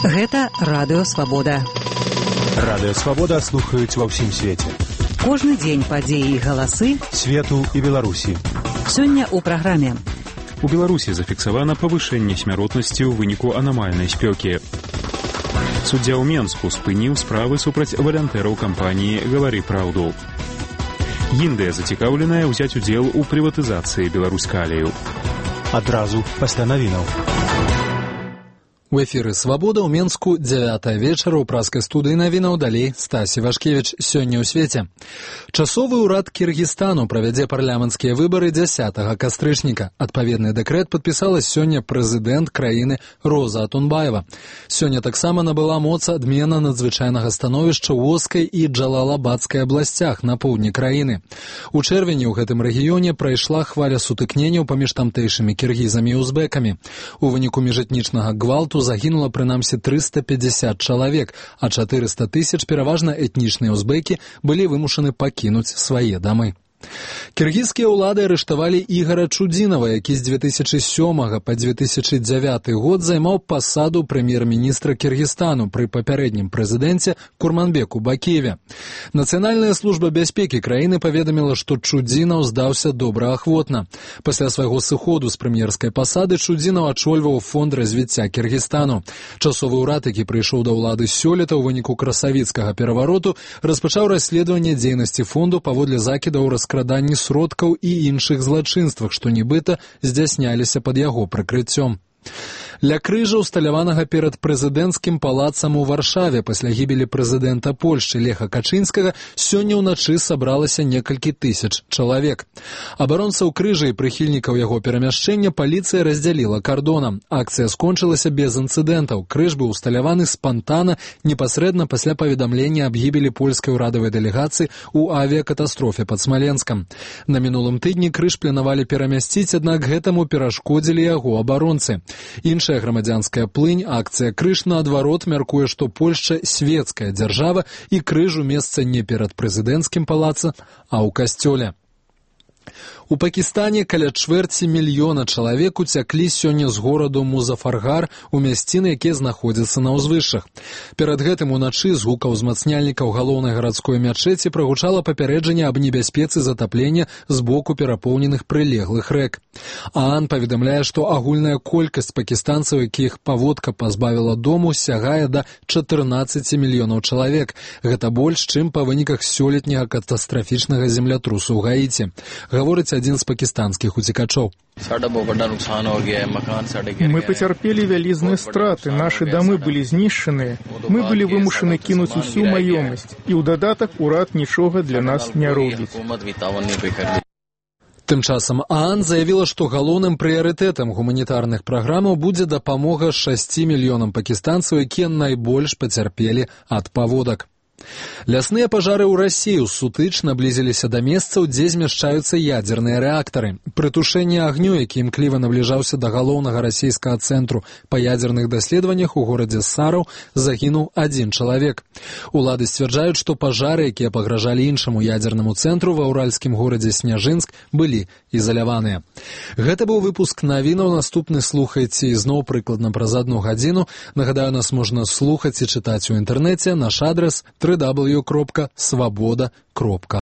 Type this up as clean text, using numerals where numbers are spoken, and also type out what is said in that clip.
Гэта Радыё Свабода. Радыё Свабода слухаюць ва ўсім свеце. Кожны дзень падзеі і галасы свету і Беларусі. Сёння ў праграме. У Беларусі зафіксавана павышэнне смяротнасці ў выніку анамальнай спёкі. Суддзя ў Менску спыніў справы супраць валантэраў кампаніі «Гавары праўду». Індыя зацікаўленая ўзяць удзел у прыватызацыі Беларускалію. Адразу пасля навінаў. У эфіры «Свабода» ў Менску 9 вечара ў праскай студыі навінаў, далей Стась Івашкевіч. Сёння ў свеце. Часовы ўрад Кіргізстану правядзе парламенцкія выбары 10 кастрычніка. Адпаведны дэкрэт падпісала сёння прэзідэнт краіны Роза Атунбаева. Сёння таксама набыла моц адмена надзвычайнага становішча ў Оскай і Джалалабадскай абласцях на поўдні краіны. У чэрвені ў гэтым рэгіёне прайшла хваля сутыкненняў паміж тамтэйшымі кіргізамі і узбекамі. У выніку міжэтнічнага гвалту загінула прынамсі 350 чалавек, а 400 тысяч, пераважна этнічныя узбекі, былі вымушаны пакінуць свае дамы. Кіргізскія ўлады арыштавалі Ігара Чудзінава, які з 2007 па 2009 год займаў пасаду прэм'ер-міністра Кіргізстану пры папярэднім прэзідэнце Курманбеку Бакиеве. Нацыянальная служба бяспекі краіны паведаміла, што Чудзінаў здаўся добраахвотна. Пасля свайго сыходу з прэм'ерскай пасады Чудзінаў ачольваў фонд развіцця Кіргізстану. Часовы ўрад, які прыйшоў да ўлады сёлета ў выніку красавіцкага перавароту, распачаў расследаванне дзейнасці фонду паводле закідаў раскраданні сродкаў і іншых злачынствах, што нібыта здзяйсняліся пад яго прыкрыццём. Ля крыжа, усталяванага перад прэзідэнцкім палацам у Варшаве пасля гібелі прэзідэнта Польшчы Леха Качынскага, сёння ўначы сабралася некалькі тысяч чалавек. Абаронцаў крыжа і прыхільнікаў яго перамяшчэння паліцыя раздзяліла кардонам. Акцыя скончылася без інцыдэнтаў. Крыж быў усталяваны спантана непасрэдна пасля паведамлення аб гібелі польскай урадавай дэлегацыі ў авіякатастрофе пад Смаленскам. На мінулым тыдні крыж планавалі перамясціць, аднак гэтаму перашкодзілі яго абаронцы. Іншая грамадзянская плынь, акцыя «Крыж» наадварот мяркуе, што Польшча свецкая дзяржава і крыжу месца не перад прэзідэнцкім палацам, а ў касцёле. У Пакістане каля 250 000 чалавек уцяклі сёння з гораду Музафаргар у мясціны, якія знаходзяцца на ўзвышшах. Перад гэтым уначы з гука ўзмацняльнікаў галоўнай гарадской мячэці прагучала папярэджанне аб небяспецы затаплення з боку перапоўненых прылеглых рэк. ААН паведамляе, што агульная колькасць пакістанцаў, якіх паводка пазбавіла дому, сягае да 14 мільёнаў чалавек. Гэта больш, чым па выніках сёлетняга катастрафічнага землятрусу ў Гаіці. Гаворыць адзін з пакістанскіх уцекачоў. Мы потерпели вялізныя страты, наши дамы былі знішчаныя, мы былі вымушаны кінуць усю маёмасць, і ў дадатак урад нічога для нас не робіць. Тым часам ААН заявіла, што галоўным прыярытэтам гуманітарных праграмаў будзе дапамога 6 мільёнам пакістанцаў, якія найбольш пацярпелі ад паводак. Лясныя пажары ў Расіі сутыч наблізіліся да месцаў, дзе змяшчаюцца ядзерныя рэактары. Пры тушэнні агню, які імкліва набліжаўся да галоўнага расійскага цэнтру па ядзерных даследаваннях у горадзе Сараў, загінуў 1 чалавек. Улады сцвярджаюць, што пажары, якія пагражалі іншаму ядзернаму цэнтру ва ўральскім горадзе Сняжынск, былі ізаляваныя. Гэта быў выпуск навінаў. Наступны слухайце ізноў прыкладна праз 1 гадзіну. Нагадаю, нас можна слухаць і чытаць у інтэрнэце. Наш адрес www.swaboda.org.